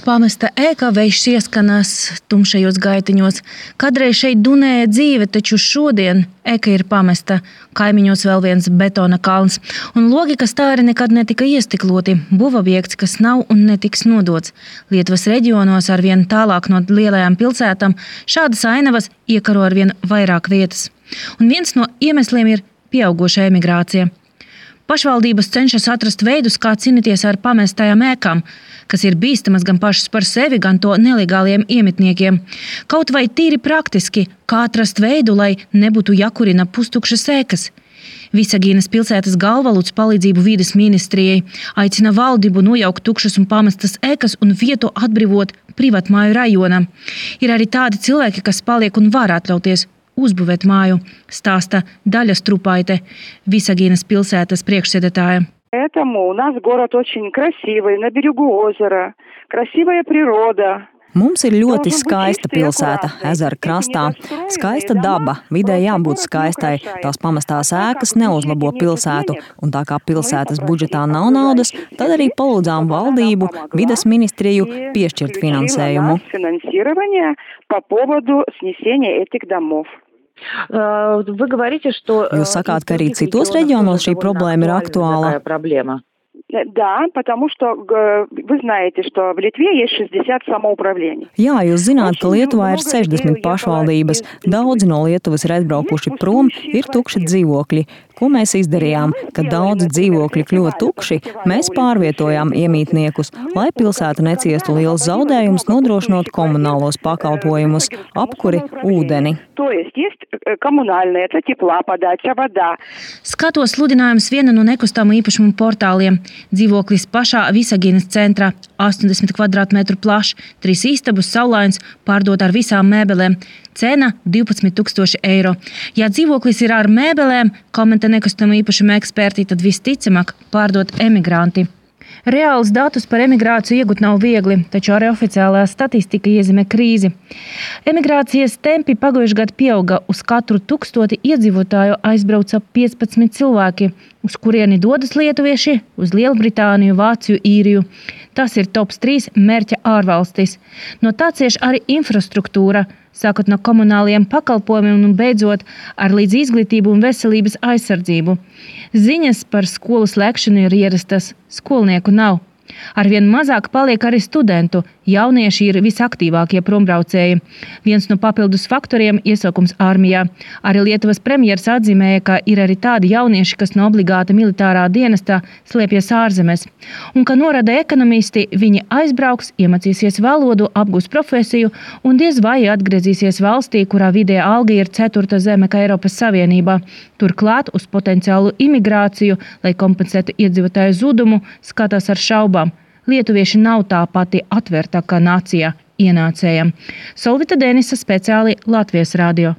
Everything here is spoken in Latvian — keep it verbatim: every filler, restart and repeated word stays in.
Pamesta ēka, vējš ieskanas tumšajos gaitiņos. Kadreiz šeit dunēja dzīve, taču šodien ēka ir pamesta. Kaimiņos vēl viens betona kalns. Un logi, kas tā arī nekad netika iestikloti. Būvobjekts, kas nav un netiks nodots. Lietuvas reģionos arvien tālāk no lielajām pilsētām šādas ainavas iekaro arvien vairāk vietas. Un viens no iemesliem ir pieaugoša emigrācija. Pašvaldības cenšas atrast veidus, kā cīnīties ar pamestajām ēkām, kas ir bīstamas gan pašas par sevi, gan to nelegāliem iemitniekiem. Kaut vai tīri praktiski, kā atrast veidu, lai nebūtu jākurina pustukšas ēkas. Visagīnas pilsētas galva lūdz palīdzību vides ministrijai, aicina valdību nojaukt tukšas un pamestas ēkas un vietu atbrīvot privātmāju rajonam. Ir arī tādi cilvēki, kas paliek un var atļauties uzbūvēt māju, stāsta Daļa Strupaite, Visagīnas pilsētas priekšsēdētāja. Поэтому у нас город очень красивый, на берегу озера, красивая природа. Mums ir ļoti skaista pilsēta, ezera krastā. Skaista daba, vidē jābūt skaistai, tās pamestās ēkas neuzlabo pilsētu, un tā kā pilsētas budžetā nav naudas, tad arī palūdzām valdību, vides ministriju piešķirt finansējumu. Jūs sakāt, ka arī citos reģionos šī problēma ir aktuāla? Да, потому что вы знаете, что в Литве есть шестьдесят самоуправлений. Jā, jūs zināt, ka Lietuvā ir sešdesmit pašvaldības. Daudzi no Lietuvas ir aizbraukuši prom, ir tukši dzīvokļi. Ko mēs izdarījām? Kad daudzi dzīvokļi kļuva tukši, mēs pārvietojām iemītniekus, lai pilsēta neciestu liels zaudējums, nodrošinot komunālos pakalpojumus, apkuri, ūdeni. Skatos sludinājums viena no nekustāmu īpašumu portāliem. Dzīvoklis pašā Visagīnas centrā, astoņdesmit kvadrātmetru plašs, trīs istabas, saulains, pārdot ar visām mēbelēm. Cena divpadsmit tūkstoši eiro. Ja dzīvoklis ir ar mēbelēm, komentē nekustamo īpašumu eksperti, tad visticamāk pārdot emigranti. Reāls datus par emigrāciju iegūt nav viegli, taču arī oficiālā statistika iezīmē krīzi. Emigrācijas tempi pagājušajā gadā pieauga, uz katru tūkstoti iedzīvotāju aizbrauca piecpadsmit cilvēki, uz kurieni dodas lietuvieši, uz Lielbritāniju, Vāciju, Īriju. Tas ir tops trīs mērķa ārvalstis. No tā cieš arī infrastruktūra, sākot no komunāliem pakalpojumiem un beidzot ar līdz izglītību un veselības aizsardzību. Ziņas par skolu slēgšanu ir ierastas, skolnieku nav. Arvien mazāk paliek arī studentu, jaunieši ir visaktīvākie prombraucēji. Viens no papildus faktoriem – iesaukums armijā. Arī Lietuvas premjers atzīmēja, ka ir arī tādi jaunieši, kas no obligāta militārā dienestā slēpjas ārzemēs. Un, kā norāda ekonomisti, viņi aizbrauks, iemācīsies valodu, apgūs profesiju un diez vai atgriezīsies valstī, kurā vidējā alga ir ceturta zeme kā Eiropas Savienībā. Turklāt uz potenciālu imigrāciju, lai kompensētu iedzīvotāju zudumu, skatās ar šaubām. Lietuvieši nav tā pati atvērtākā nācija ienācējiem. Solvita Denisa, speciāli Latvijas radio.